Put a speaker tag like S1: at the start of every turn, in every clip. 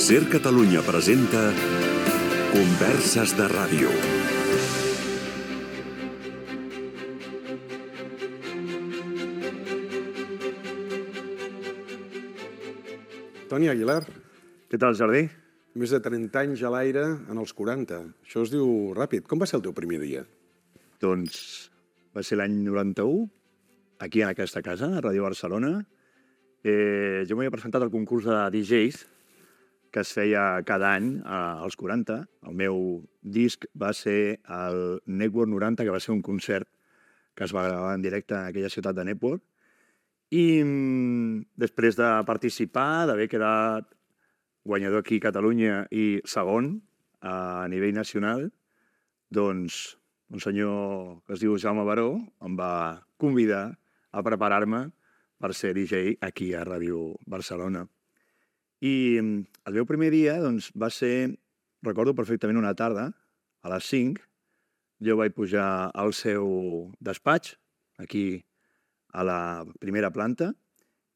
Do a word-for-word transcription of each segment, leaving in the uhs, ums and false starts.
S1: Ser Catalunya presenta Converses de Ràdio.
S2: Toni Aguilar.
S3: Què tal, Jordi?
S2: Més de trenta anys a l'aire en els quaranta. Això es diu ràpid. Com va ser el teu primer dia?
S3: Doncs va ser l'any noranta-u, aquí en aquesta casa, a Ràdio Barcelona. Eh, jo m'havia presentat al concurs de D Js que es feia cada any als quaranta. El meu disc va ser el Network noranta, que va ser un concert que es va gravar en directe en aquella ciutat de Network. I després de participar, d'haver quedat guanyador aquí a Catalunya i segon a nivell nacional, doncs un senyor que es diu Jaume Baró em va convidar a preparar-me per ser D J aquí a Ràdio Barcelona. I el meu primer dia doncs, va ser, recordo perfectament, una tarda, a les cinc, jo vaig pujar al seu despatx, aquí a la primera planta,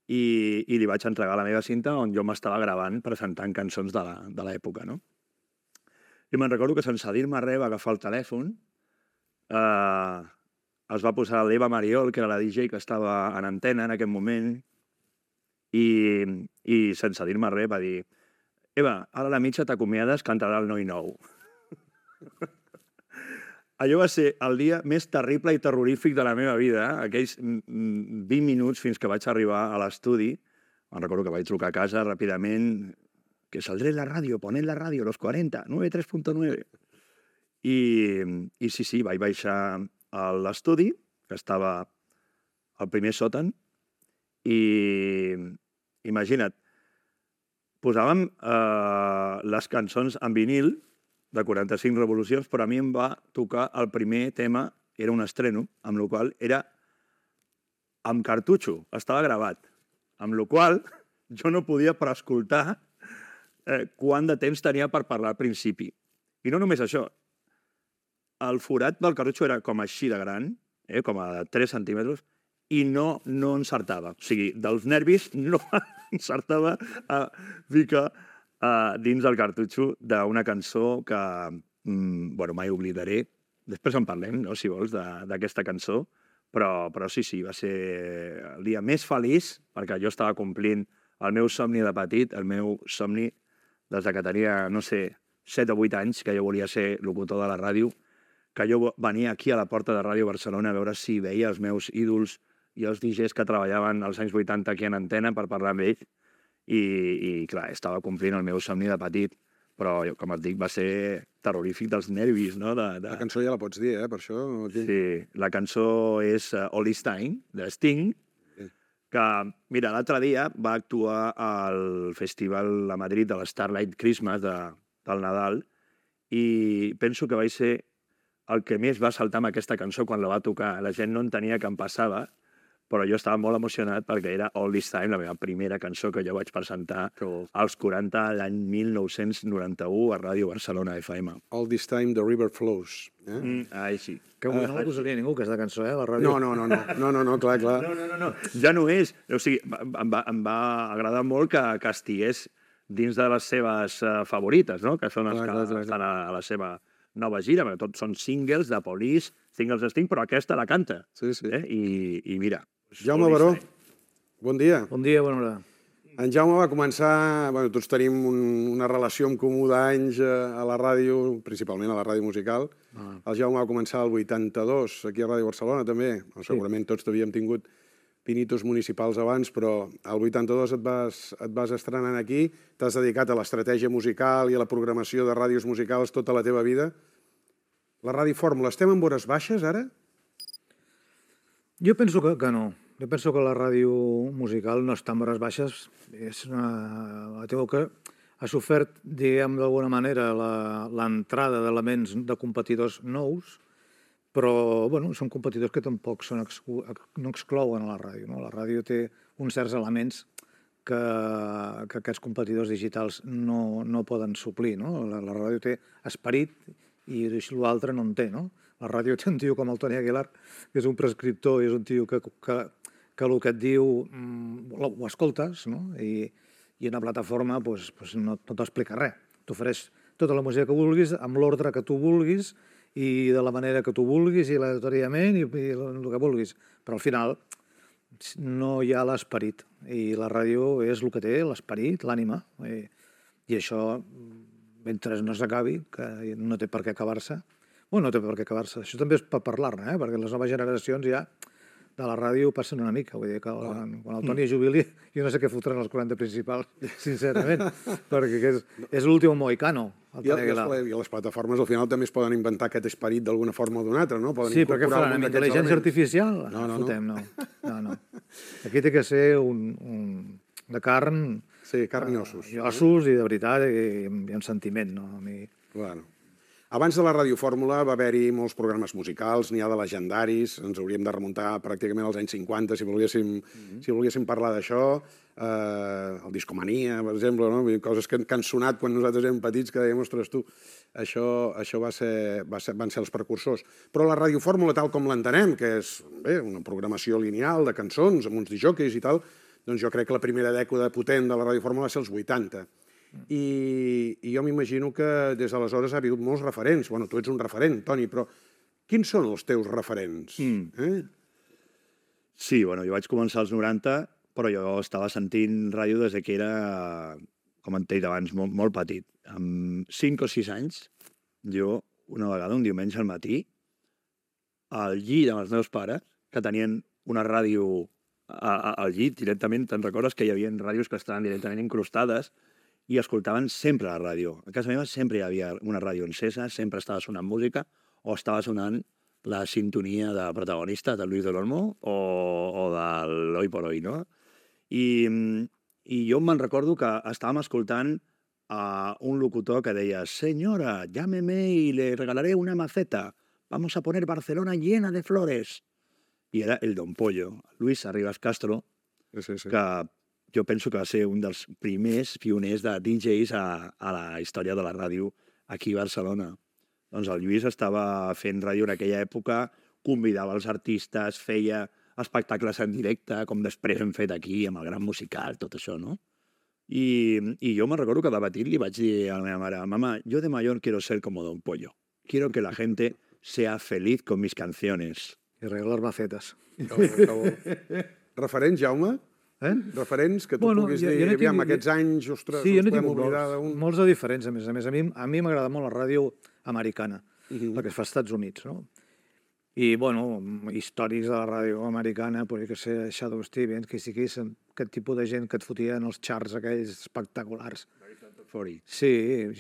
S3: i, i li vaig entregar la meva cinta on jo m'estava gravant presentant cançons de l'època, no? I me'n recordo que sense dir-me res va agafar el telèfon, eh, es va posar l'Eva Mariol, que era la D J que estava en antena en aquest moment, i, i sense dir-me res va dir: Eva, ara a la mitja t'acomiades, cantarà el Noi Nou. Allò va ser el dia més terrible i terrorífic de la meva vida, eh? Aquells vint minuts fins que vaig arribar a l'estudi. Me'n recordo que vaig trucar a casa ràpidament, que saldré en la ràdio, ponent la ràdio, los quaranta, noventa i tres punt nueve. I, I sí, sí, vaig baixar a l'estudi, que estava al primer sòtan, i imagina't, posàvem eh, les cançons en vinil, de quaranta-cinc revolucions, però a mi em va tocar el primer tema, era un estreno, amb la qual era amb cartutxo, estava gravat, amb la qual jo no podia preescoltar eh, quant de temps tenia per parlar al principi. I no només això, el forat del cartutxo era com així de gran, eh, com a tres centímetres, i no, no encertava. O sigui, dels nervis no encertava a ficar Uh, dins del cartutxo d'una cançó que mm, bueno, mai oblidaré. Després en parlem, no, si vols, d'aquesta cançó, però, però sí, sí, va ser el dia més feliç perquè jo estava complint el meu somni de petit, el meu somni des de que tenia, no sé, set o vuit anys, que jo volia ser locutor de la ràdio, que jo venia aquí a la porta de Ràdio Barcelona a veure si veia els meus ídols i els D Js que treballaven als anys vuitanta aquí en antena per parlar amb ells. I, i clar, estava complint el meu somni de petit, però, com et dic, va ser terrorífic dels nervis, no? De, de...
S2: La cançó ja la pots dir, eh, per això.
S3: Sí, la cançó és uh, All This Time, de Sting, sí. Que, mira, l'altre dia va actuar al festival a Madrid de l'Starlight Christmas de, del Nadal, i penso que vaig ser el que més va saltar amb aquesta cançó quan la va tocar. La gent no entenia què em passava, però jo estava molt emocionat perquè era All This Time, la meva primera cançó que jo vaig presentar als quaranta, l'any mil nou-cents noranta-u, a Ràdio Barcelona F M.
S2: All This Time, The River Flows. Eh?
S3: Mm, ai, sí.
S4: Que avui no la posaria ningú, aquesta cançó, eh, a la ràdio.
S2: No, no, no, no, no, no, no clar, clar.
S3: No, no, no, no, ja no és. O sigui, em va, em va agradar molt que, que estigués dins de les seves uh, favorites, no? Que són els clar, que clar, clar, estan a, a la seva nova gira, perquè tots són singles de Police, singles de Sting, però aquesta la canta.
S2: Sí, sí.
S3: Eh? I, I mira...
S2: Jaume Baró, bon dia.
S4: Bon dia, bona hora.
S2: En Jaume va començar... Bueno, tots tenim un, una relació en comú d'anys a la ràdio, principalment a la ràdio musical. Ah. El Jaume va començar el vuitanta-dos, aquí a Ràdio Barcelona, també. Sí. Segurament tots havíem tingut pinitos municipals abans, però el vuitanta-dos et vas, et vas estrenant aquí. T'has dedicat a l'estratègia musical i a la programació de ràdios musicals tota la teva vida. La Ràdio Fórmula, estem en hores baixes, ara?
S4: Jo penso que, que no. Jo penso que la ràdio musical no està en hores baixes. És una... La teva que ha sofert, diguem d'alguna manera, l'entrada d'elements de competidors nous, però bueno, són competidors que tampoc són exclu... no exclouen a la ràdio. No? La ràdio té uns certs elements que, que aquests competidors digitals no, no poden suplir. No? La, la ràdio té esperit i l'altre no en té, no? La ràdio té un tio com el Toni Aguilar, que és un prescriptor, és un tio que, que, que el que et diu ho escoltes, no? I, I una plataforma doncs, doncs no, no t'explica res. T'ofereix tota la música que vulguis, amb l'ordre que tu vulguis, i de la manera que tu vulguis, i aleatoriament, i, i el que vulguis. Però al final no hi ha l'esperit. I la ràdio és el que té, l'esperit, l'ànima. I, I això, mentre no s'acabi, que no té per què acabar-se, bueno, no té per què acabar-se. Això també és per parlar-ne, eh? Perquè les noves generacions ja de la ràdio passen una mica. Vull dir que quan, quan el Toni es jubili, jo no sé què fotran els quaranta principals, sincerament, perquè és, és l'últim mohicano.
S2: I, les, I les plataformes al final també es poden inventar aquest esperit d'alguna forma o d'una altra, no? Poden
S4: sí, però què faran? Amb intel·ligència artificial? No, no, fotem, no. no, no. Aquí té que ser un, un de carn...
S2: Sí, carn i ossos.
S4: I ossos, i de veritat, i, i un sentiment, no? A mi...
S2: Bueno. Abans de la radiofórmula va haver-hi molts programes musicals, n'hi ha de legendaris, ens hauríem de remuntar pràcticament als anys cinquanta si volguéssim, mm-hmm. si volguéssim parlar d'això, eh, el Discomania, per exemple, no? Coses que, que han sonat quan nosaltres érem petits, que dèiem, ostres, tu, això, això va ser, va ser, van ser els precursors. Però la radiofórmula, tal com l'entenem, que és bé, una programació lineal de cançons, amb uns disjòqueis i tal, doncs jo crec que la primera dècada potent de la radiofórmula va ser els vuitanta. I, i jo m'imagino que des d'aleshores ha hagut molts referents. Bueno, tu ets un referent, Toni, però quins són els teus referents? Mm. Eh?
S3: Sí, bueno, jo vaig començar als noranta, però jo estava sentint ràdio des que era, com et he dit abans, molt, molt petit. Amb cinc o sis anys, jo, una vegada, un diumenge al matí, al llit amb els meus pares, que tenien una ràdio a, a, al llit directament, te'n recordes que hi havia ràdios que estaven directament incrustades, i escoltaven sempre la ràdio. A casa meva sempre hi havia una ràdio encesa, sempre estava sonant música, o estava sonant la sintonia de protagonista de Luis del Olmo o, o de l'Hoy por Hoy, no? I, i jo me'n recordo que estàvem escoltant a un locutor que deia «Senyora, llámeme y le regalaré una maceta. Vamos a poner Barcelona llena de flores». I era el Don Pollo, Luis Arribas Castro,
S2: sí, sí, sí.
S3: que jo penso que va ser un dels primers pioners de D Js a, a la història de la ràdio aquí a Barcelona. Doncs el Lluís estava fent ràdio en aquella època, convidava els artistes, feia espectacles en directe, com després hem fet aquí, amb el Gran Musical, tot això, no? I, i jo me'n recordo que de petit li vaig dir a la meva mare, «Mamá, yo de mayor quiero ser como Don Pollo. Quiero que la gente sea feliz con mis canciones».
S4: I regalar macetes.
S2: Referents, Jaume? Eh? Referents que tu bueno, puguis dir, no aviam, tinc... aquests anys, ostres,
S4: sí, no ens podem oblidar d'un... Molts de diferents, a més a més. A mi a mi m'agrada molt la ràdio americana, uh-huh. la que es fa als Estats Units, no? I, bueno, històrics de la ràdio americana, podria que ser Shadow Stevens, que sí que és aquest tipus de gent que et fotia en els charts aquells espectaculars. Sí,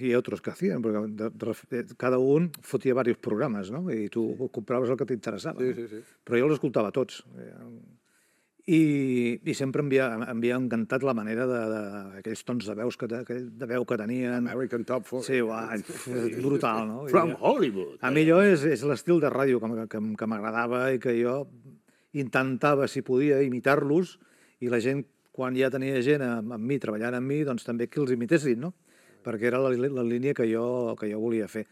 S4: i altres que hacían, perquè cada un fotia diversos programes, no? I tu sí. compraves el que t'interessava.
S2: Sí, sí, sí.
S4: Però jo els escoltava tots. I, i sempre m'havia havia encantat la manera d'aquells tons de veus que, de veu que tenien.
S2: American Top forty.
S4: Sí, uah, brutal, no?
S3: From Hollywood.
S4: A mi allò és, és l'estil de ràdio que, que, que m'agradava i que jo intentava, si podia, imitar-los, i la gent, quan ja tenia gent amb, amb mi, treballant amb mi, doncs també que els imitessin, no? Perquè era la, la línia que jo, que jo volia fer.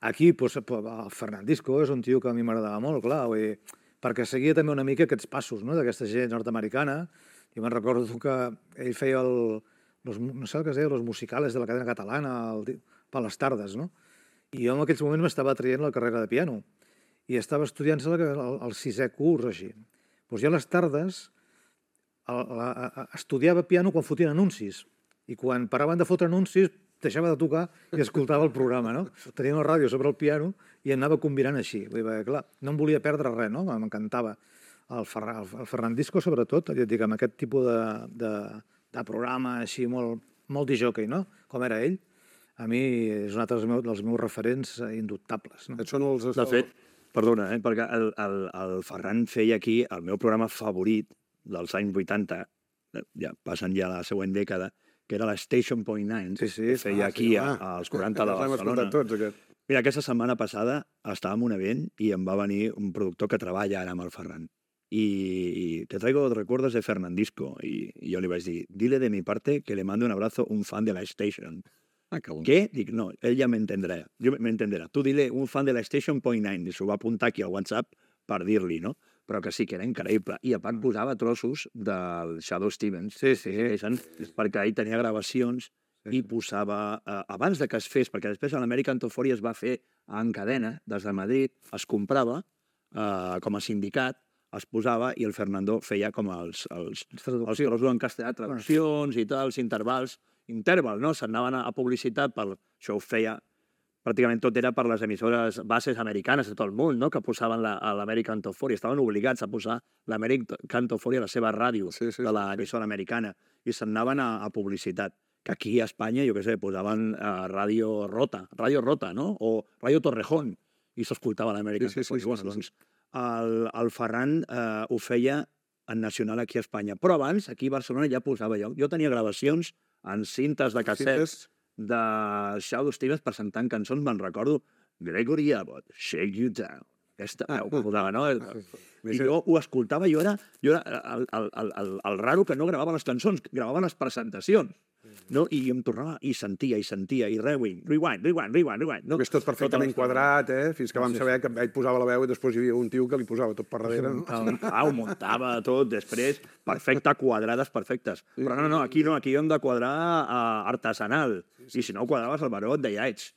S4: Aquí, doncs, el Fernandisco és un tio que a mi m'agradava molt, clar, vull dir, perquè seguia també una mica aquests passos, no?, d'aquesta gent nord-americana. Jo me'n recordo que ell feia el, los, no sé el que es deia, los musicales de la cadena catalana el, per les tardes, no? I jo en aquells moments m'estava traient la carrera de piano i estava estudiant-se el, el, el sisè curs, així. Doncs jo a les tardes el, la, a, estudiava piano quan fotien anuncis i quan paraven de fotre anuncis deixava de tocar i escoltava el programa, no? Tenia una ràdio sobre el piano i anava combinant així. Vull dir, clar, no em volia perdre res, no? M'encantava. El, Ferran, el Fernandisco, sobretot, ja et dic, amb aquest tipus de, de, de programa així molt, molt disjockey, no? Com era ell, a mi és un altre dels meus, dels meus referents indubtables. No?
S2: Et són els...
S3: De fet, perdona, eh, perquè el, el, el Ferran feia aquí el meu programa favorit dels anys vuitanta, ja passen ja la següent dècada, que era la Station Point Nine,
S2: sí, sí,
S3: que feia
S2: ah,
S3: aquí
S2: sí,
S3: a, als quaranta de Barcelona.
S2: Tots, aquest.
S3: Mira, aquesta setmana passada estava en un event i em va venir un productor que treballa ara amb el Ferran. I, i te traigo recuerdos de Fernandisco. I, i jo li vaig dir, dile de mi parte que le mando un abrazo un fan de la Station. Ah, que bon. Què? Dic, no, ell ja m'entendrà. Jo m'entendrà. Tu dile un fan de la Station Point Nine. I s'ho va apuntar aquí al WhatsApp per dir-li, no? però que sí, que era increïble. I a part posava trossos del Shadoe Stevens.
S4: Sí, sí.
S3: Perquè ell tenia gravacions i posava, eh, abans de que es fes, perquè després l'American Top quaranta es va fer en cadena, des de Madrid, es comprava eh, com a sindicat, es posava i el Fernando feia com els, els, els trossos en castellà, traduccions i tal, els intervals, interval, no? S'anaven a publicitat, per, això ho feia, pràcticament tot era per les emissores bases americanes de tot el món, no? Que posaven l'American Top quaranta, estaven obligats a posar l'American Top quaranta a la seva ràdio sí, sí, de l'emissora sí. americana i s'anaven a, a publicitat. Que aquí a Espanya, jo què sé, posaven uh, Ràdio Rota, Ràdio Rota, no? O Ràdio Torrejón, i s'escoltava l'American sí, sí, Top quaranta. Sí, sí, bueno, sí, sí. Doncs el, el Ferran eh, ho feia en nacional aquí a Espanya. Però abans, aquí a Barcelona ja posava jo. Jo tenia gravacions en cintes de cassets de Shadoe Stevens presentant cançons, me'n recordo, Gregory Abbott, Shake You Down. Aquesta, ah, ho posava, no? I jo ho escoltava, jo era, jo era el, el, el, el, el raro que no gravava les cançons, gravava les presentacions. No? I em tornava, i sentia, i sentia, i rewind, rewind, rewind, rewind, rewind. No?
S2: És tot perfectament quadrat, eh? Fins que vam saber que ell posava la veu i després hi havia un tio que li posava tot per darrere, no?
S3: Ah, ho muntava tot, després, perfecte, quadrades perfectes. Però no, no, aquí no, aquí hem de quadrar uh, artesanal. I si no quadraves el baró, et deia, ets,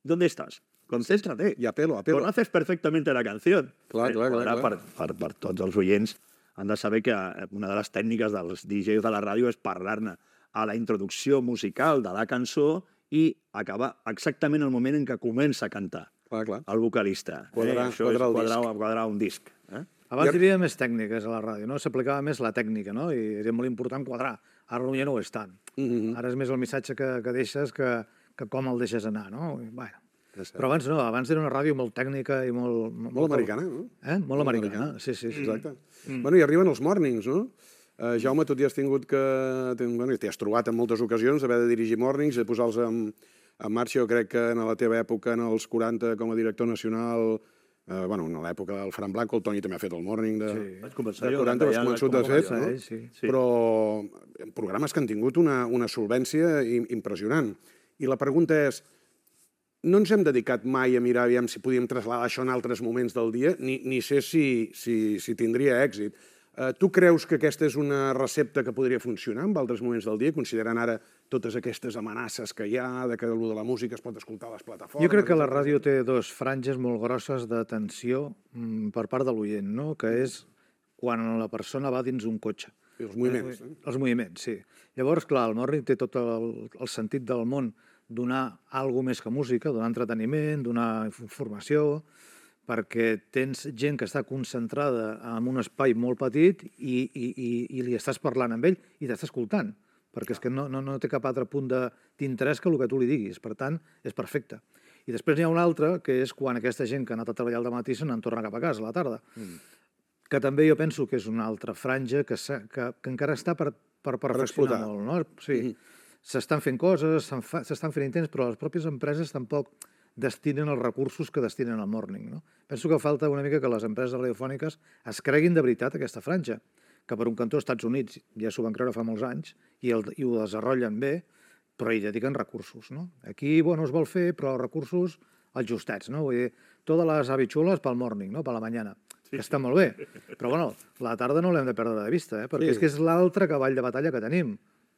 S3: ¿dónde estás? Concéntrate.
S2: Y a pelo, a pelo.
S3: Conoces perfectamente la canción.
S2: Clar, clar, clar.
S3: Per, per, per tots els oients han de saber que una de les tècniques dels D Js de la ràdio és parlar-ne a la introducció musical de la cançó i acabar exactament el moment en què comença a cantar
S2: clar, clar.
S3: el vocalista.
S2: Quadrar,
S3: eh? Això
S2: quadrar,
S3: és quadrar, quadrar un disc. Eh?
S4: Abans hi havia més tècniques a la ràdio, no? S'aplicava més la tècnica, no? I era molt important quadrar. Ara ja no ho és tant. Mm-hmm. Ara és més el missatge que, que deixes que, que com el deixes anar, no? Bueno. Però abans no, abans era una ràdio molt tècnica i molt...
S2: Molt, molt americana, no?
S4: Eh? Molt, molt americana, americana, sí, sí. sí.
S2: Exacte. Mm. Bueno, i arriben els mornings, no? Uh, Jaume, tu ja has tingut que... Bueno, t'hi has trobat en moltes ocasions d'haver de dirigir mornings, de posar-los en, en marxa. Jo crec que en la teva època, en els quaranta, com a director nacional, uh, bueno, en l'època del Fran Blanco, el Toni també ha fet el morning de,
S3: sí. Vaig començar
S2: de
S3: jo,
S2: quaranta, has començat a fer, no?
S4: Sí, sí.
S2: Però programes que han tingut una, una solvència impressionant. I la pregunta és, no ens hem dedicat mai a mirar aviam si podíem traslladar això en altres moments del dia, ni, ni sé si, si, si tindria èxit. Uh, tu creus que aquesta és una recepta que podria funcionar en altres moments del dia, considerant ara totes aquestes amenaces que hi ha, de que allò de la música es pot escoltar a les plataformes?
S4: Jo crec que la ràdio té dos franges molt grosses d'atenció mm, per part de l'oient, no? Que és quan la persona va dins un cotxe.
S2: I els moviments.
S4: Eh? Els moviments, sí. Llavors, clar, el morning té tot el, el sentit del món donar alguna més que música, donar entreteniment, donar informació, perquè tens gent que està concentrada en un espai molt petit i, i, i, i li estàs parlant amb ell i t'està escoltant, perquè és que no, no, no té cap altre punt d'interès que el que tu li diguis. Per tant, és perfecte. I després n'hi ha un altre, que és quan aquesta gent que ha anat a treballar al dematí se n'en torna cap a casa a la tarda. Mm. Que també jo penso que és una altra franja que, que, que encara està per, per perfeccionar molt. No? Sí. Mm. S'estan fent coses, s'estan fent intents, però les pròpies empreses tampoc destinen els recursos que destinen al morning. No? Penso que falta una mica que les empreses radiofòniques es creguin de veritat aquesta franja, que per un cantó als Estats Units ja s'ho van creure fa molts anys i, el, i ho desenvolupen bé, però hi dediquen recursos. No? Aquí, bueno, es vol fer, però recursos els justets. No? Vull dir, totes les habichuelas pel morning, no? Per la mañana. Sí, que està molt bé. Però, bueno, la tarda no l'hem de perdre de vista, eh? Perquè sí. És que és l'altre cavall de batalla que tenim.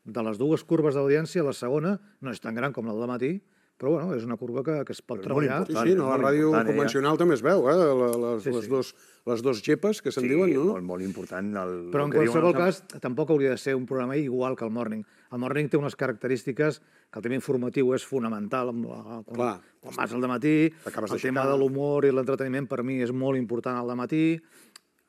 S4: De les dues curves d'audiència, la segona no és tan gran com la del matí, però bueno, és una curva que, que es pot treballar.
S2: Sí, sí, no, la ràdio convencional ja. També es veu, eh? Les, sí, les, sí. Dos, les dos gepes que se'n
S3: sí,
S2: diuen, no?
S3: Molt, molt important. El,
S4: però en qualsevol cas, tampoc hauria de ser un programa igual que el morning. El morning té unes característiques que el tema informatiu és fonamental. Quan, quan vas al dematí, el tema de l'humor i l'entreteniment per mi és molt important al dematí.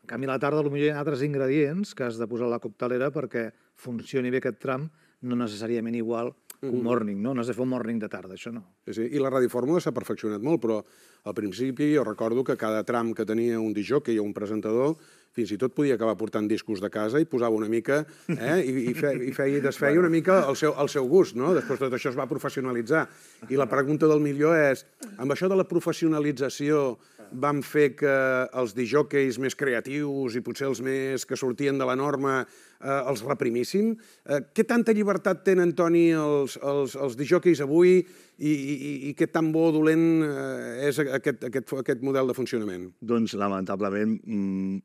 S4: En canvi, a la tarda potser hi ha altres ingredients que has de posar a la coctelera perquè funcioni bé aquest tram, no necessàriament igual que un morning, no? No has de fer un morning de tarda, això no.
S2: Sí, sí. I la radiofórmula s'ha perfeccionat molt, però al principi jo recordo que cada tram que tenia un disjockey o un presentador fins i tot podia acabar portant discos de casa i posava una mica, eh, i, i, fe, i feia i desfeia una mica el seu, el seu gust, no? Després tot això es va professionalitzar. I la pregunta del milió és, amb això de la professionalització van fer que els disjòqueis més creatius i potser els més que sortien de la norma eh, els reprimissin. Eh, què tanta llibertat tenen, Toni, els, els, els disjòqueis avui i, i, i què tan bo o dolent eh, és aquest, aquest, aquest model de funcionament?
S3: Doncs, lamentablement,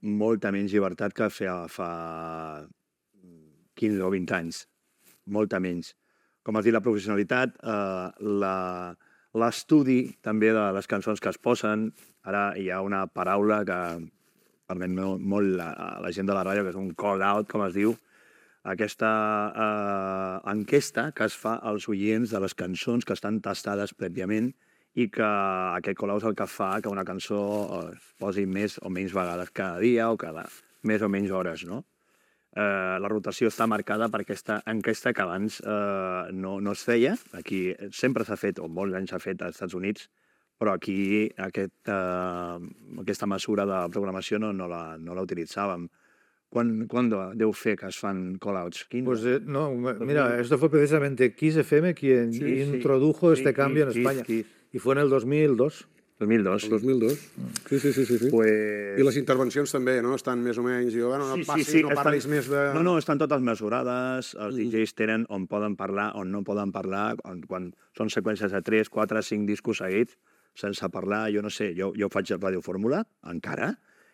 S3: molta menys llibertat que fa, fa quinze o vint anys. Molta menys. Com has dit, la professionalitat, eh, l'estudi també de les cançons que es posen. Ara hi ha una paraula que permet molt la, la gent de la ràdio, que és un call-out, com es diu, aquesta eh, enquesta que es fa als oients de les cançons que estan tastades prèviament i que aquest call-out és el que fa que una cançó es posi més o menys vegades cada dia o cada més o menys hores, no? Eh, la rotació està marcada per aquesta enquesta que abans eh, no, no es feia. Aquí sempre s'ha fet, o molts anys s'ha fet als Estats Units, però aquí aquest, eh, aquesta mesura de programació no, no, la, no la utilitzàvem. ¿Cuándo, ¿Cuándo deu fer que es fan call-outs?
S4: Pues eh, no, mira, esto fue precisamente Kiss F M quien sí, introdujo sí, este sí, cambio Kiss, en España. Kiss, Kiss. Y fue en el dos mil dos.
S3: dos mil dos.
S2: El dos mil dos. Sí, sí, sí. sí, sí.
S3: Pues...
S2: I les intervencions també, no? Estan més o menys... Diu, bueno, no
S3: sí,
S2: passis,
S3: sí, sí,
S2: no parlis
S3: estan...
S2: més de...
S3: No, no, estan totes mesurades. Els mm. D Js tenen on poden parlar, on no poden parlar. Quan, quan són seqüències de tres, quatre, cinc discos seguits, sense parlar, jo no sé, jo, jo faig Ràdio Fórmula, encara,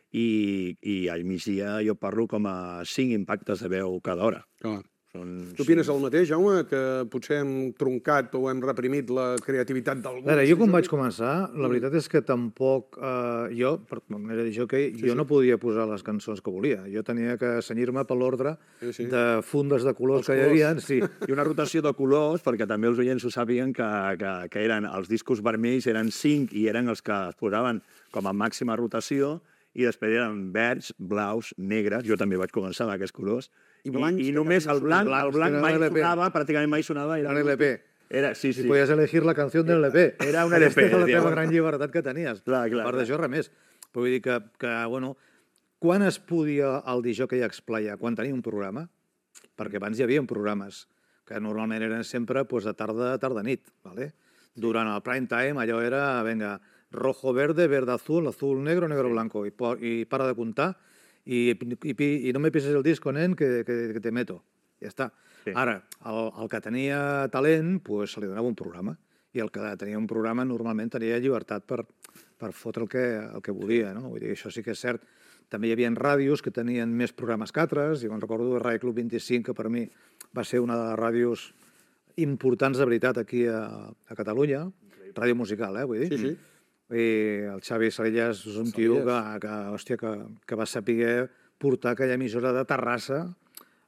S3: i, i al migdia jo parlo com a cinc impactes de veu cada hora.
S2: Clar.
S3: Són...
S2: Tu opines el mateix, Jaume, que potser hem truncat o hem reprimit la creativitat d'algú?
S4: Veure, jo quan vaig començar, la veritat és que tampoc... Eh, jo, per manera de dir que sí, jo sí. no podia posar les cançons que volia. Jo tenia que cenyir-me per l'ordre sí, sí. de fundes de colors els que colors. Hi havia. Sí.
S3: I una rotació de colors, perquè també els oients ho sàpiguen, que, que, que eren els discos vermells, eren cinc i eren els que es posaven com a màxima rotació, i després eren verds, blaus, negres, jo també vaig començar amb aquests colors, i, blancs, i, i només el blanc, blancs, el blanc mai sonava, pràcticament mai sonava.
S4: Era un L P.
S3: Era, sí, sí.
S4: I podies elegir la canció del L P.
S3: Era un L P.
S4: Aquesta era la teva gran llibertat que tenies.
S3: Clar, clar,
S4: a part d'això, res més. Però vull dir que, que, bueno, quan es podia el disjockey explaiar? Quan tenia un programa? Perquè abans hi havia programes que normalment eren sempre pues, de tarda, tarda-nit. ¿Vale? Durant el prime time allò era, venga, rojo, verde, verde, azul, azul, negro, negro, blanco. I, i para de comptar. I, i, i no me pises el disco, nen, que, que, que te meto. Ja està. Sí. Ara, el, el que tenia talent, pues, se li donava un programa. I el que tenia un programa normalment tenia llibertat per, per fotre el que, el que volia. No? Vull dir, això sí que és cert. També hi havia ràdios que tenien més programes que altres. Jo me'n recordo de Ràdio Club vint-i-cinc, que per mi va ser una de les ràdios importants de veritat aquí a, a Catalunya. Ràdio musical, eh, vull dir.
S2: Sí, sí.
S4: I el Xavi Salellas és un tio que, que, hòstia, que, que va saber portar aquella emissora de Terrassa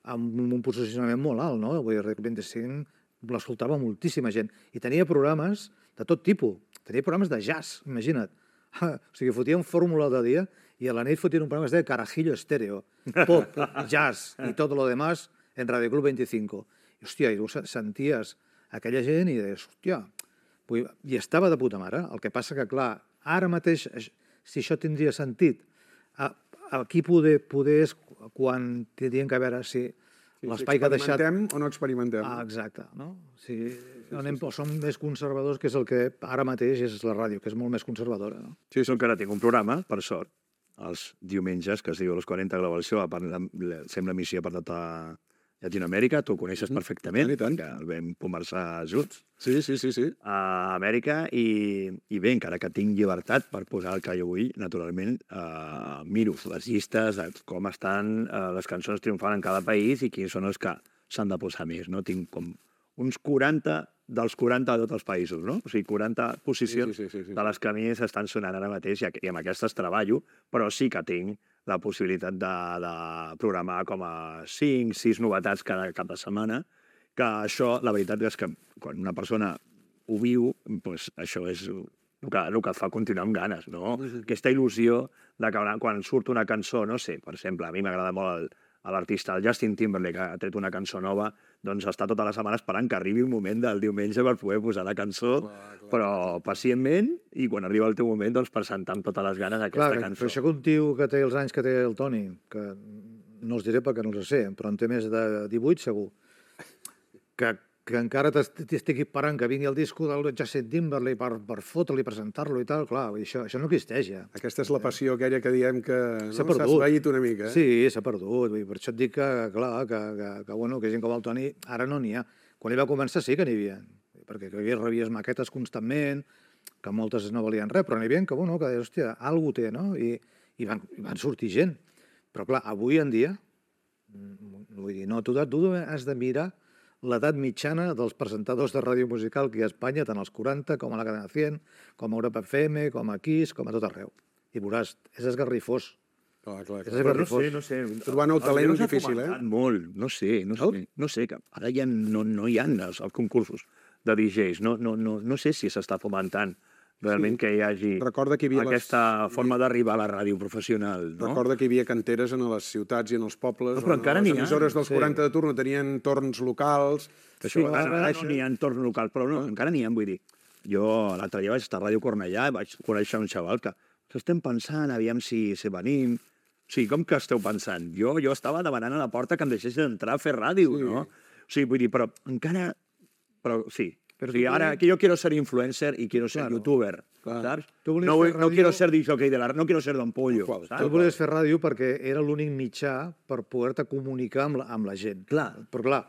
S4: amb un posicionament molt alt, no? Vull dir, Ràdio vint-i-cinc l'escoltava moltíssima gent. I tenia programes de tot tipus. Tenia programes de jazz, imagina't. O sigui, fotien fórmula de dia i a la nit fotien un programa que es deia Carajillo Estéreo. Pop, jazz i tot lo demás en Ràdio Club vint-i-cinc. I, hòstia, i tu senties aquella gent i deies, hòstia... I estava de puta mare. El que passa que, clar, ara mateix, si això tindria sentit, aquí poder, poder és quan tindrien que veure si
S2: sí,
S4: l'espai
S2: si
S4: que ha deixat...
S2: experimentem o no experimentem.
S4: Ah, exacte. No? Si sí, sí, anem, sí, sí. Som més conservadors, que és el que ara mateix és la ràdio, que és molt més conservadora. No?
S3: Sí, som que ara tinc un programa, per sort, els diumenges, que es diu Los quaranta Global Show, sembla missió per tota Llatinoamèrica, tu ho coneixes perfectament,
S2: I tant.
S3: Que el vam conversar junts.
S2: Sí, sí, sí, sí.
S3: A Amèrica, i, i bé, encara que tinc llibertat per posar el que jo vull, naturalment, eh, miro les llistes de com estan eh, les cançons triomfant en cada país i quins són els que s'han de posar més, no? Tinc com uns quaranta dels quaranta de tots els països, no? O sigui, quaranta posicions
S2: sí, sí, sí, sí, sí.
S3: de les que a mi s'estan sonant ara mateix i amb aquestes treballo, però sí que tinc la possibilitat de, de programar com a cinc, sis novetats cada cap de setmana, que això, la veritat és que quan una persona ho viu, doncs això és el que, el que et fa continuar amb ganes, no? Sí, sí. Aquesta il·lusió de que quan surt una cançó, no sé, per exemple, a mi m'agrada molt el, l'artista, el Justin Timberlake, que ha tret una cançó nova, doncs està tota la setmana esperant que arribi un moment del diumenge per poder posar la cançó, clar, clar, però pacientment, i quan arriba el teu moment, doncs presentar amb totes les ganes aquesta
S4: clar,
S3: cançó.
S4: Però això que un tio que té els anys que té el Toni, que no els diré perquè no els sé, però en té més de divuit segur, que que encara t'estic esperant que vingui el disco del Justin Timberlake per, per fotre-li, presentar-lo i tal, clar, això, això no existeix ja.
S2: Aquesta és la passió aquella que diem que
S4: S'ha
S2: no?
S4: perdut.
S2: S'ha esvaït una mica. Eh?
S4: Sí, s'ha perdut. Vull dir, per això et dic que, clar, que, que, que, bueno, que gent com el Toni ara no n'hi ha. Quan ell va començar sí que n'hi havia, perquè que hi rebies maquetes constantment, que moltes no valien res, però n'hi havia que, bueno, que deies, hòstia, alguna té, no? I, i, van, i van sortir gent. Però, clar, avui en dia, vull dir, no, tu, tu has de mirar l'edat mitjana dels presentadors de ràdio musical que hi ha a Espanya, tant als quaranta com a la Cadena cent, com a Europa F M, com a Kiss, com a tot arreu. I veuràs, és esgarrifós.
S2: Clar, clar,
S4: És
S2: clar.
S4: esgarrifós.
S3: No sé, no sé.
S2: Trobar nou talent
S3: Els
S2: difícil,
S3: s'ha
S2: eh?
S3: fomentat molt, no sé, no sé, no sé, que ara ja no, no hi ha els, els concursos de D Js, no, no, no, no sé si s'està fomentant realment
S2: Sí.
S3: que hi hagi
S2: Recorda que hi havia les-
S3: aquesta forma d'arribar a la ràdio professional, no?
S2: Recorda que hi havia canteres en les ciutats i en els pobles.
S3: No, però
S2: on
S3: encara
S2: les
S3: n'hi ha.
S2: emissores dels
S4: Sí.
S2: quaranta de turno tenien torns locals. que
S3: Sí,
S2: això va
S3: ara, ara
S2: desaparèixer.
S3: no n'hi ha entorn local, però no, encara n'hi ha, vull dir. Jo l'altre dia vaig estar a Ràdio Cornellà i vaig conèixer un xaval que estem pensant, aviam si, si venim. Sí, com que esteu pensant? Jo jo estava demanant a la porta que em deixessin entrar a fer ràdio,
S2: Sí.
S3: no? O sigui, vull dir, però encara... Però sí,
S4: Però
S3: o sigui,
S4: tu
S3: ara
S4: volies-
S3: que yo quiero ser influencer y quiero ser
S4: Claro.
S3: youtuber,
S2: Claro.
S3: ¿sabes?
S4: Tu volies
S3: No, vull-
S4: fer
S3: no
S4: ràdio-
S3: quiero ser disjockey de la... No quiero ser Don Pollo,
S2: Qual?
S3: saps?
S4: Tu volies fer ràdio perquè era l'únic mitjà per poder-te comunicar amb la, amb la gent.
S3: Clar.
S4: Però clar,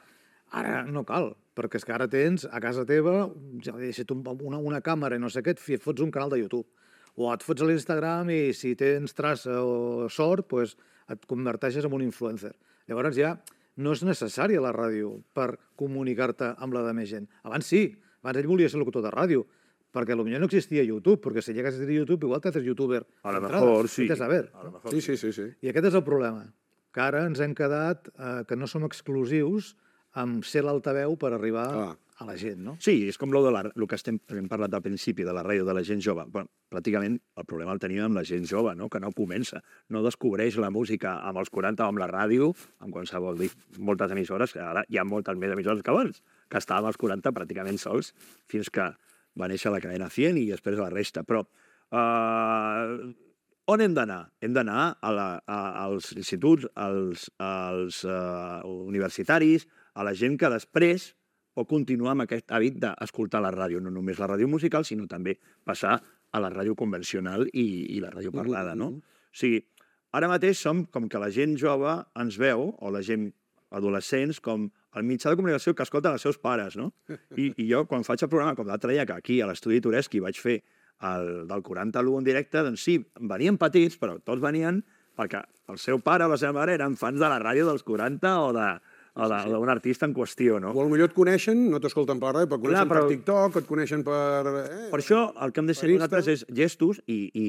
S4: ara no cal, perquè és que ara tens a casa teva, ja si tu una, una càmera i no sé què, et fi- et fots un canal de YouTube. O et fots a l'Instagram i si tens traça o sort, pues, et converteixes en un influencer. Llavors ja no és necessària la ràdio per comunicar-te amb la de més gent. Abans sí, abans ell volia ser locutor de ràdio, perquè potser no existia YouTube, perquè si llegues a tenir YouTube, igual t'haces youtuber.
S3: A lo
S4: d'entrada.
S3: mejor sí.
S4: Vés a ver.
S3: A lo mejor
S2: Sí, sí, sí, sí.
S4: I aquest és el problema, que ara ens hem quedat eh, que no som exclusius amb ser l'altaveu per arribar
S2: Clar.
S4: a la gent, no?
S3: Sí, és com lo de la, el que estem, hem parlat al principi de la ràdio de la gent jove. Bueno, pràcticament el problema el tenim amb la gent jove, no? Que no comença, no descobreix la música amb els quaranta o amb la ràdio, amb qualsevol dir, moltes emissores, que ara hi ha moltes més emissores que abans, que estàvem als quaranta pràcticament sols, fins que va néixer la cadena cent i després la resta. Però eh, on hem d'anar? Hem d'anar a la, a, als instituts, als, als uh, universitaris, a la gent que després pot continuar amb aquest hàbit d'escoltar la ràdio, no només la ràdio musical, sinó també passar a la ràdio convencional i, i la ràdio parlada, no? O sigui, ara mateix som com que la gent jove ens veu, o la gent adolescents, com el mitjà de comunicació que escolten els seus pares, no? I, i jo, quan faig el programa, com l'altre dia, que aquí a l'estudi Tureski vaig fer el, del quaranta a l'u en directe, doncs sí, venien petits, però tots venien perquè el seu pare o la seva mare eren fans de la ràdio dels quaranta o de o d'un artista en qüestió, no?
S2: O potser et coneixen, no t'escolten per la ràdio, però et coneixen
S3: Clar, però-
S2: per TikTok, et coneixen per... Eh,
S3: Per això el que hem de ser
S2: per
S3: nosaltres
S2: Insta.
S3: és gestos i, i,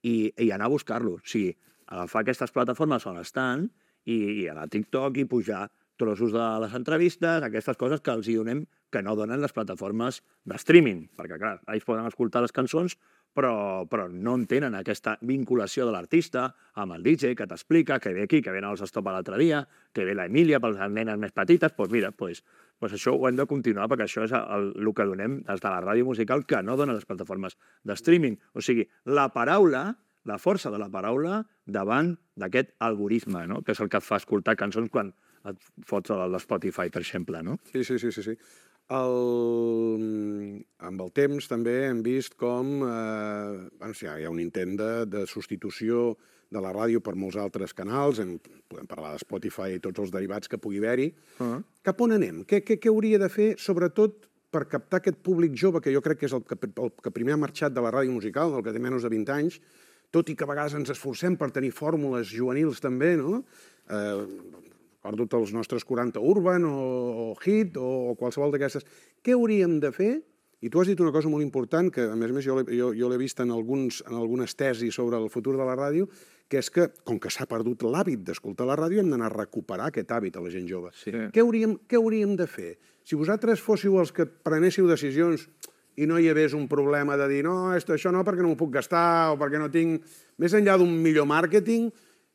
S3: i, i anar a buscar-lo. O sigui, agafar aquestes plataformes on estan i, i anar a TikTok i pujar trossos de les entrevistes, aquestes coses que els hi donem que no donen les plataformes de streaming, perquè, clar, ells poden escoltar les cançons, però, però no en tenen aquesta vinculació de l'artista amb el D J que t'explica que ve aquí, que ve als Stop l'altre dia, que ve la Emília per les nenes més petites, doncs mira, doncs, doncs això ho hem de continuar perquè això és el, el que donem des de la ràdio musical que no donen les plataformes de streaming. O sigui, la paraula, la força de la paraula davant d'aquest algoritme, no? Que és el que et fa escoltar cançons quan et fots a l'Spotify, per exemple, no?
S2: Sí, sí, sí, sí. sí. El... Amb el temps també hem vist com eh, bueno, sí, hi ha un intent de, de substitució de la ràdio per molts altres canals, en, podem parlar de Spotify i tots els derivats que pugui haver-hi. Uh-huh. Cap on anem? Què, què, què hauria de fer, sobretot, per captar aquest públic jove, que jo crec que és el que, el que primer ha marxat de la ràdio musical, el que té menys de vint anys, tot i que a vegades ens esforcem per tenir fórmules juvenils també, no? Eh, recordo els nostres quaranta Urban o, o Hit o, o qualsevol d'aquestes. Què hauríem de fer? I tu has dit una cosa molt important, que a més a més jo l'he jo, jo l'he vist en, alguns, en algunes tesis sobre el futur de la ràdio, que és que, com que s'ha perdut l'hàbit d'escoltar la ràdio, hem d'anar a recuperar aquest hàbit a la gent jove.
S4: Sí.
S2: Què hauríem, què hauríem de fer? Si vosaltres fóssiu els que prenéssiu decisions i no hi hagués un problema de dir no, això no, perquè no m'ho puc gastar o perquè no tinc... Més enllà d'un millor màrqueting,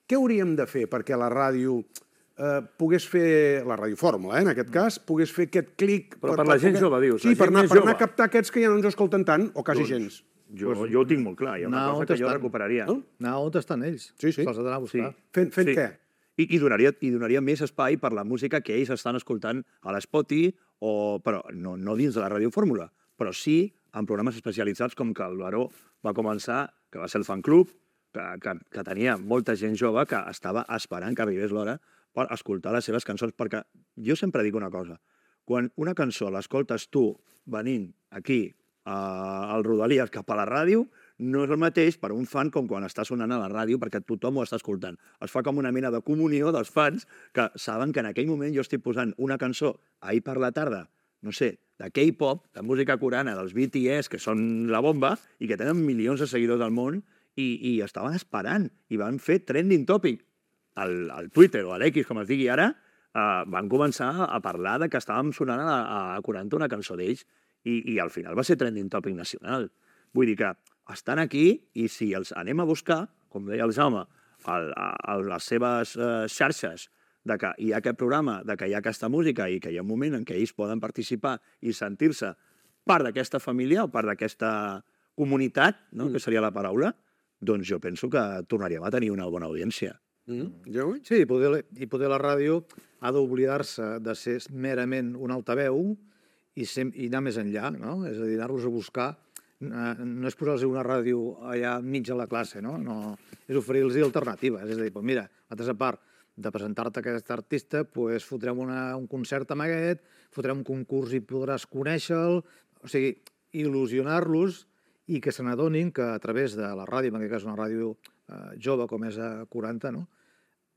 S2: què hauríem de fer perquè la ràdio eh, pogués fer, la radiofórmula, eh, en aquest cas, pogués fer aquest clic...
S3: Però per la gent jove, dius,
S2: Sí,
S3: la
S2: per
S3: gent
S2: anar,
S3: més
S2: per anar
S3: jove.
S2: a captar aquests que ja no ens escolten tant, o quasi gens.
S3: Jo, jo ho tinc molt clar, hi ha una
S4: No,
S3: cosa
S4: on
S3: que jo
S4: estan?
S3: recuperaria.
S2: No?
S4: No, on estan ells?
S2: Sí, sí.
S4: Se'ls ha d'anar a buscar.
S2: Fent, fent
S3: Sí.
S2: què?
S3: I, i, donaria, I donaria més espai per la música que ells estan escoltant a l'Spoti, o, però no, no dins de la radiofórmula, però sí en programes especialitzats com que el Baró va començar, que va ser el fan club, que, que, que tenia molta gent jove que estava esperant que arribés l'hora per escoltar les seves cançons, perquè jo sempre dic una cosa, quan una cançó l'escoltes tu venint aquí al Rodalies cap a la ràdio, no és el mateix per un fan com quan està sonant a la ràdio perquè tothom ho està escoltant. Es fa com una mena de comunió dels fans que saben que en aquell moment jo estic posant una cançó ahir per la tarda, no sé, de K-pop, de música coreana, dels B T S, que són la bomba i que tenen milions de seguidors al món i, i estaven esperant i van fer trending topic. Al, al Twitter o a l'X, com es digui ara, eh, van començar a parlar de que estàvem sonant a, a quaranta una cançó d'ells i, i al final va ser trending topic nacional. Vull dir que estan aquí i si els anem a buscar, com deia el Jaume, a, a, a les seves eh, xarxes, de que hi ha aquest programa, de que hi ha aquesta música i que hi ha un moment en què ells poden participar i sentir-se part d'aquesta família o part d'aquesta comunitat, no? Mm. que seria la paraula, doncs jo penso que tornaríem a tenir una bona audiència.
S2: Mm. Jo?
S4: Sí, i poder, i poder la ràdio ha d'oblidar-se de ser merament un altaveu i, sem, i anar més enllà, no? És a dir, anar-los a buscar. No és posar-los una ràdio allà mig a la classe, no? no és oferir-los alternatives. És a dir, doncs mira, nosaltres a part de presentar-te aquest artista, doncs fotrem una, un concert amb aquest, fotrem un concurs i podràs conèixer-lo. O sigui, il·lusionar-los i que se n'adonin que a través de la ràdio, en aquest cas una ràdio eh, jove com és a quaranta, no?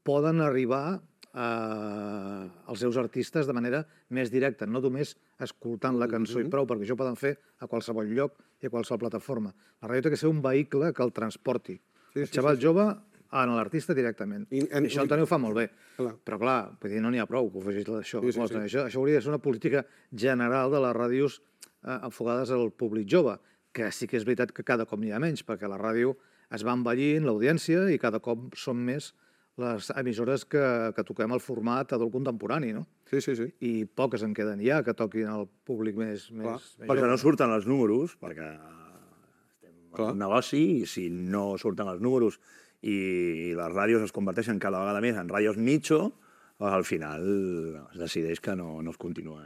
S4: poden arribar eh, als seus artistes de manera més directa, no només escoltant la cançó mm-hmm. i prou, perquè això ho poden fer a qualsevol lloc i a qualsevol plataforma. La ràdio té que ser un vehicle que el transporti. Sí, el sí, xaval sí, sí. jove en l'artista directament. I, en, I això el Toni ho fa molt bé. Clar. Però clar, vull dir, no n'hi ha prou que ho facis això. Sí, sí, sí. Això. Això hauria de ser una política general de les ràdios eh, enfocades al públic jove, que sí que és veritat que cada cop n'hi ha menys, perquè la ràdio es va envellint, l'audiència, i cada cop són més les emissores que, que toquem el format adult contemporani, no?
S2: Sí, sí, sí.
S4: I poques en queden ja que toquin al públic més, més, més
S3: perquè
S4: jove.
S3: No surten els números, perquè estem en un negoci, i si no surten els números i les ràdios es converteixen cada vegada més en ràdios nicho, al final es decideix que no, no es continua.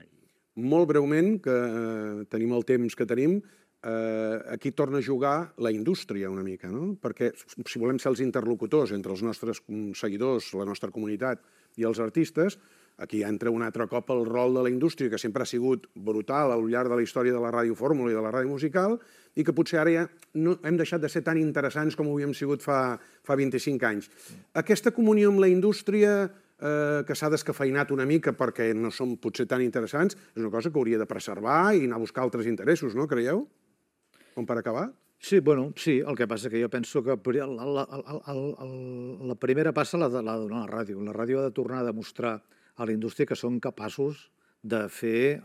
S2: Molt breument, que eh, tenim el temps que tenim, eh, aquí torna a jugar la indústria una mica, no? Perquè si volem ser els interlocutors entre els nostres seguidors, la nostra comunitat i els artistes, aquí entra un altre cop el rol de la indústria, que sempre ha sigut brutal al llarg de la història de la radiofórmula i de la ràdio musical, i que potser ara ja no hem deixat de ser tan interessants com ho havíem sigut fa, fa vint-i-cinc anys. Aquesta comunió amb la indústria eh, que s'ha descafeinat una mica perquè no són potser tan interessants, és una cosa que hauria de preservar i anar a buscar altres interessos, no? Creieu? Com per acabar?
S4: Sí, bueno, sí, el que passa que jo penso que la, la, la, la primera passa l'ha de donar la ràdio. La ràdio ha de tornar a demostrar a la indústria que són capaços de fer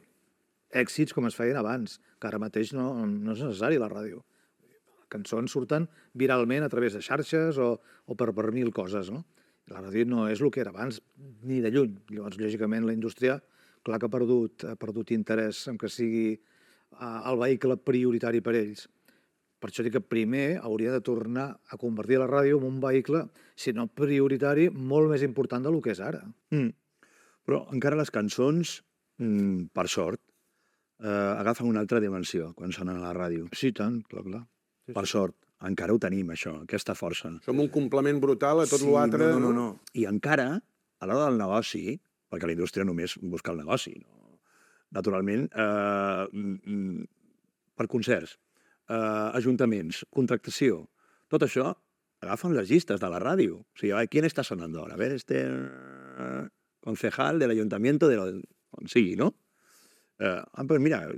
S4: èxits com es feien abans, que ara mateix no, no és necessari la ràdio. Les cançons surten viralment a través de xarxes o, o per, per mil coses, no? La ràdio no és el que era abans, ni de lluny. Llavors, lògicament, la indústria, clar que ha perdut, ha perdut interès en que sigui uh, el vehicle prioritari per ells. Per això dic que primer hauria de tornar a convertir la ràdio en un vehicle, si no prioritari, molt més important del que és ara.
S3: Mm. Però encara les cançons, mm, per sort, eh, agafen una altra dimensió quan sonen a la ràdio.
S4: Sí, tant, clar, clar. Sí,
S3: per
S4: sí.
S3: sort, encara ho tenim, això, aquesta força.
S2: Som un complement brutal a tot
S3: sí,
S2: l'altre.
S3: No, no, no, no. I encara, a l'hora del negoci, perquè la indústria només busca el negoci, no? Naturalment, eh, per concerts, eh, ajuntaments, contractació, tot això agafen les llistes de la ràdio. O sigui, qui està sonant ara? A veure, este concejal de l'Ayuntamiento de lo... on sigui, no? Eh, però mira,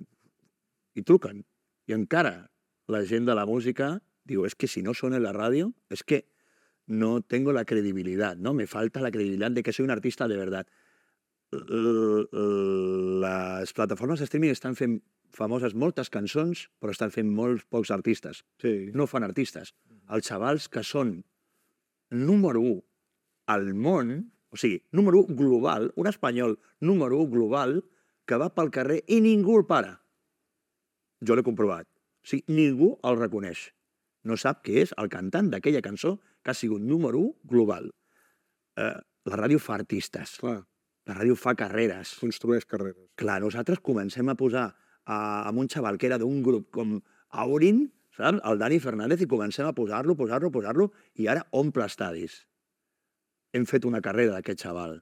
S3: i truquen. I encara la gent de la música diu, es que si no sona en la ràdio, es que no tengo la credibilidad, ¿no? Me falta la credibilidad de que soy un artista de verdad. Les plataformes de streaming estan fent famoses moltes cançons, però estan fent molts pocs artistes.
S4: Sí.
S3: No fan artistes. Els xavals que són número u al món, o sigui, número u global, un espanyol número u global, que va pel carrer i ningú el para. Jo l'he comprovat. O sigui, ningú el reconeix. No sap què és el cantant d'aquella cançó que ha sigut número u global. Eh, la ràdio fa artistes.
S2: Clar,
S3: La ràdio fa carreres.
S2: construeix carreres.
S3: Clar, nosaltres comencem a posar a, amb un xaval que era d'un grup com Aurin, saps? El Dani Fernández, i comencem a posar-lo, posar-lo, posar-lo, i ara omple estadis. Hem fet una carrera d'aquest xaval.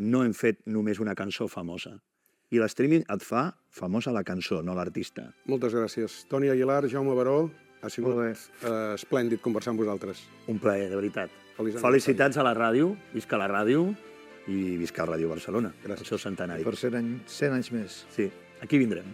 S3: No hem fet només una cançó famosa. I l'streaming et fa famosa la cançó, no l'artista.
S2: Moltes gràcies. Toni Aguilar, Jaume Baró, ha sigut
S4: Molt bé.
S2: eh, esplèndid conversar amb vosaltres.
S3: Un plaer, de veritat.
S2: Feliç
S3: Felicitats a la ràdio, visca la ràdio i visca el Ràdio Barcelona,
S2: Gràcies.
S3: el seu centenari.
S4: Per cent anys, cent anys més.
S3: Sí, aquí vindrem.